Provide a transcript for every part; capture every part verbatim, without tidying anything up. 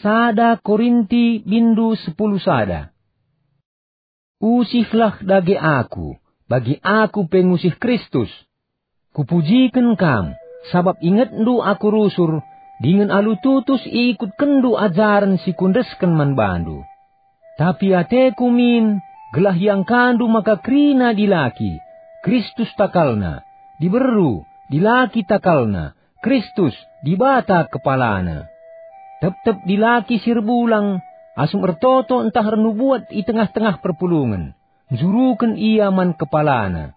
Sada Korinti bindu sepuluh sada. Usihlah dage aku, bagi aku pe ngusih Kristus. Kupujiken kam, sabap ingetndu aku rusur, dingen alu tutus iikutkenndu ajaren si kuendesken man bandu. Tapi ateku min, gelah iangkandu maka kerina dilaki, Kristus takalna, diberu, dilaki takalna, Kristus, Dibata kepalana. Tep-tep dilaki si erbulang, asum ertoto ntah ernubuat i tengah-tengah perpulungen, njuruken ia man kepalana.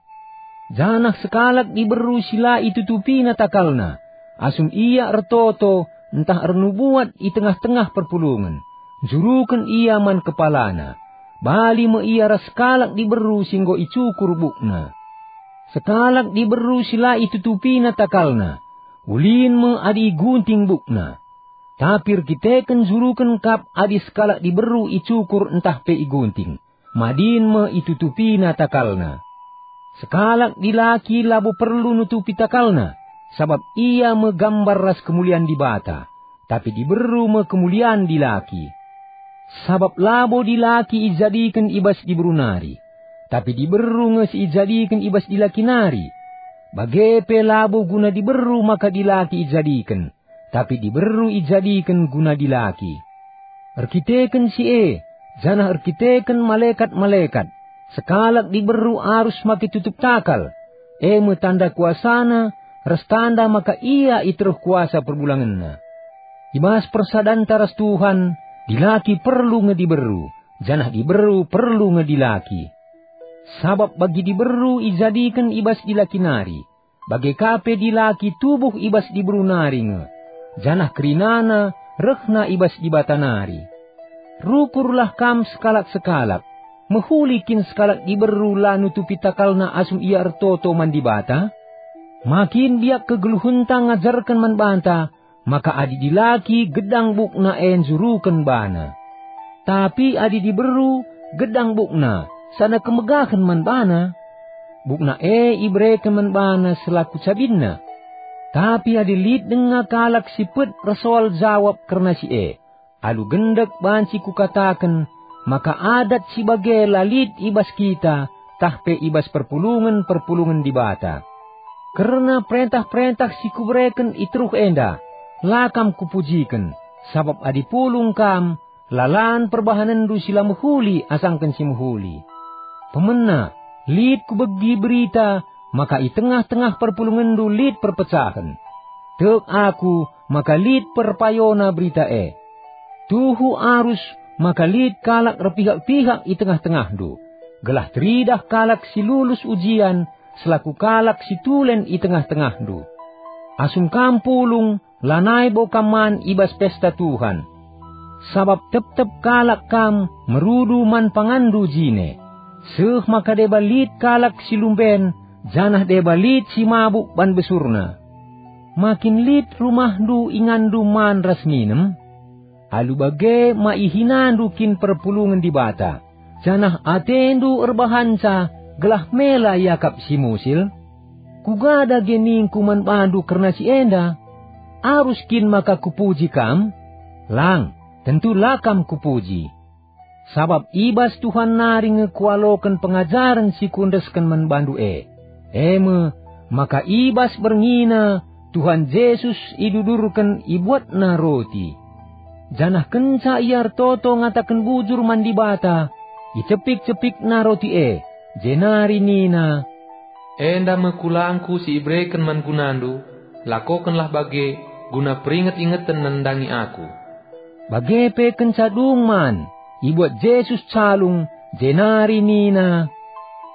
Janah sekalak diberu si la itutupina takalna, asum ia ertoto ntah ernubuat i tengah-tengah perpulungen, njuruken ia man kepalana. Bali me ia ras sekalak diberu si enggo icukur bukna. Sekalak diberu si la itutupina takalna, ulin me adi igunting bukna. Tapi erkiteken njuruken kap adi sekalak diberu icukur ntah pe igunting, madin me itutupina takalna. Sekalak dilaki labo perlu nutupi takalna, sabap ia me gambar ras kemulian Dibata, tapi diberu me kemulian dilaki. Sabap labo dilaki ijadiken i bas diberu nari, tapi diberu nge si ijadiken i bas dilaki nari. Bage pe labo guna diberu maka dilaki ijadiken, tapi diberu ijadiken guna dilaki. Erkiteken si e, janah erkiteken malekat-malekat, sekalak diberu arus make tutup takal, e me tanda kuasana ras tanda maka ia i teruh kuasa perbulangenna. I bas persadanta ras Tuhan, dilaki perlu nge diberu, janah diberu perlu nge dilaki. Sabap bagi diberu ijadiken i bas dilaki nari, bage ka pe dilaki tubuh i bas diberu nari nge, janah kerinana rehna i bas Dibata nari. Rukurlah kam sekalak-sekalak, mehuli kin sekalak diberu la nutupi takalna asum ia ertoto man Dibata? Ma kin biak kegeluhenta ngajarken man banta maka adi dilaki gedang bukna e njuruken bana. Tapi adi diberu gedang bukna, sana kemegahen man bana, bukna e ibereken man bana selaku cabinna. Tapi adi lit denga kalak si pet ersoal jawab kerna si e, alu gendek banci kukataken maka adat si bage la lit i bas kita, tah pe i bas perpulungen-perpulungen Dibata. Kerna perentah-perentah si kubereken i teruh enda, la kam kupujiken, sabap adi pulung kam, lalan perbahanenndu si la mehuli asangken si mehuli. Pemena, lit kubegi berita maka i tengah-tengah perpulungenndu lit perpecahen. Tek aku maka lit perpayona berita e. Tuhu arus maka lit kalak erpihak-pihak i tengah-tengahndu, gelah teridah kalak si lulus ujian selaku kalak si tulen i tengah-tengahndu. Asum kam pulung, lanai bo kam man i bas pesta Tuhan. Sabap tep-tep kalak kam merudu man panganndu jine, seh maka deba lit kalak si lumben, janah deba lit si mabuk ban besurna. Ma kin lit rumahndu inganndu man ras minem? Alu bage ma ihinandu kin perpulungen Dibata, janah atendu erbahanca gelah mela iakap si musil? Kuga dage ningku man bandu kerna si enda? Arus kin maka kupuji kam? Lang, tentu la kam kupuji. Sabap i bas Tuhan nari nge kualoken pengajaren si kuendesken man bandu e, e me, maka i bas berngiNa Tuhan Jesus idudurken ibuatNa roti. Janah kenca Ia ertoto ngataken bujur man Dibata, icepik-cepikNa roti e, jenari nina, "Enda me kulangKu si ibereken man gunandu, lakokenlah bage, guna peringet-ingeten nandangi Aku." Bage pe kenca dung man, ibuat Jesus calung, jenari nina,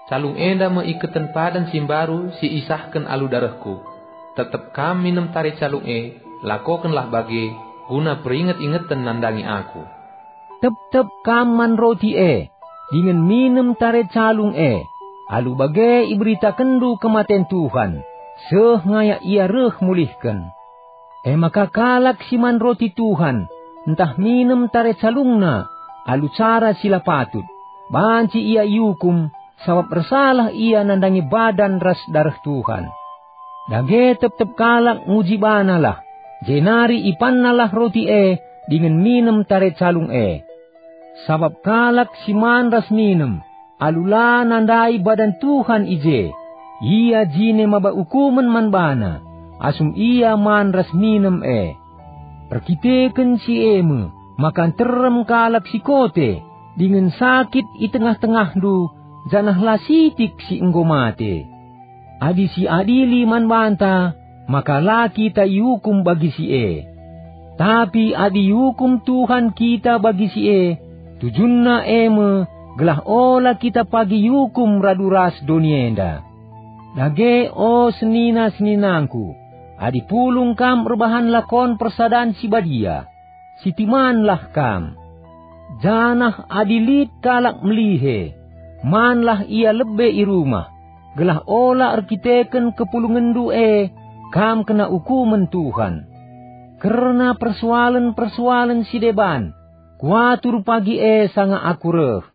"Calung enda me iketen padan si mbaru si isahken alu darehKu. Tep-tep kam minem tare calung e, lakokenlah bage, guna peringet-ingeten nandangi Aku." Tep-tep kam man roti e, dingen minem tare calung e, alu bage iberitakenndu kematen Tuhan, seh ngayak Ia reh mulihken. E maka kalak si man roti Tuhan, ntah minem tare calungna alu cara si la patut, banci ia iukum, sabap ersalah ia nandangi badan ras dareh Tuhan. Dage tep-tep kalak nguji banalah, jenari ipannalah roti e, dingen minem tare calung e. Sabap kalak si man ras minem, alu la nandai badan Tuhan i je, ia jine maba ukumen man bana, asum ia man ras minem e. Erkiteken si e me, maka nterem kalak si kote, dingen sakit i tengah-tengahndu, janah la sitik si enggo mate. Adi siadili man banta, maka la kita iukum bagi si e. Tapi adi iukum Tuhan kita bagi si e, tujunna e me gelah ola kita pagi iukum radu ras doni enda. Dage, o senina-seninangku, adi pulung kam erbahan lakon persadan si badia, sitimanlah kam. Janah adi lit kalak melihe, manlah ia lebe i rumah, gelah ola erkiteken kepulungenndu e kam kena ukumen Tuhan. Kerna persoalen-persoalen si deban, kuatur pagi e sanga aku reh.